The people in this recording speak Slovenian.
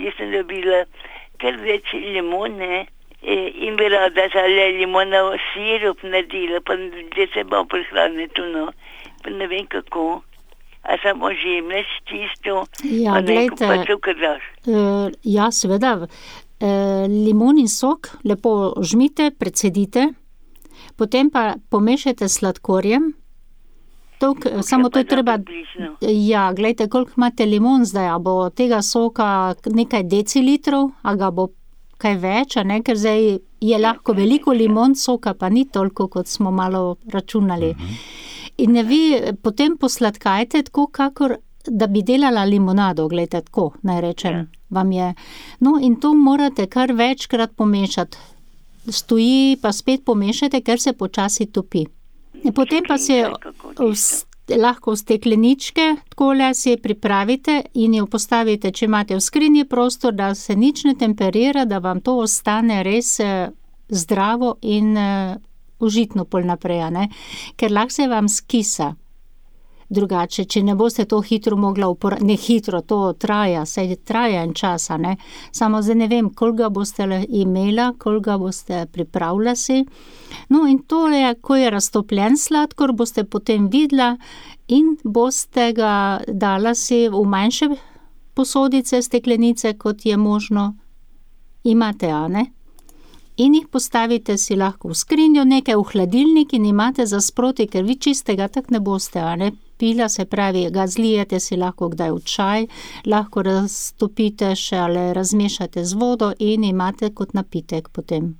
Jaz sem dobila kar več limone in bi rada zale limonov sirup naredila, pa da se bom prihraniti, pa ne vem kako. A samo žemljaš čisto, Ja, pa neko glejte, pa cukor daš. ja, seveda, limonin sok lepo žmite, precedite, potem pa pomešajte s sladkorjem. Samo to je treba, Približno. ja, glejte, koliko imate limon zdaj, a bo tega soka nekaj decilitrov, a ga bo kaj več, a ne, ker zdaj je lahko veliko limon, soka pa ni toliko, kot smo malo računali. In vi potem posladkajte tako, kakor da bi delala limonado, glejte, tako, naj rečem, vam je. No, in to morate kar večkrat pomešati. Stoji, pa spet pomešajte, ker se počasi topi. Potem pa si lahko v stekleničke, takole si pripravite in jo postavite, če imate v skrinji prostor, da se nič ne temperira, da vam to ostane res zdravo in užitno pol naprej, a ne? Ker lahko se vam skisa. Drugače, če ne boste to hitro mogla ne hitro, to traja, saj traja en čas, a ne? Samo zdaj ne vem, koliko ga boste imela, koliko ga boste pripravila si. No, in to je, ko je raztopljen sladkor, boste potem videla in boste ga dala si v manjše posodice, steklenice, kot je možno. Imate, a ne? In jih postavite si lahko v skrinjo, nekaj v hladilnik in imate za sproti, ker vi čistega tak ne boste, a ne? Pila, se pravi, ga zlijete si lahko kdaj v čaj, lahko raztopite še ali razmešate z vodo in imate kot napitek potem.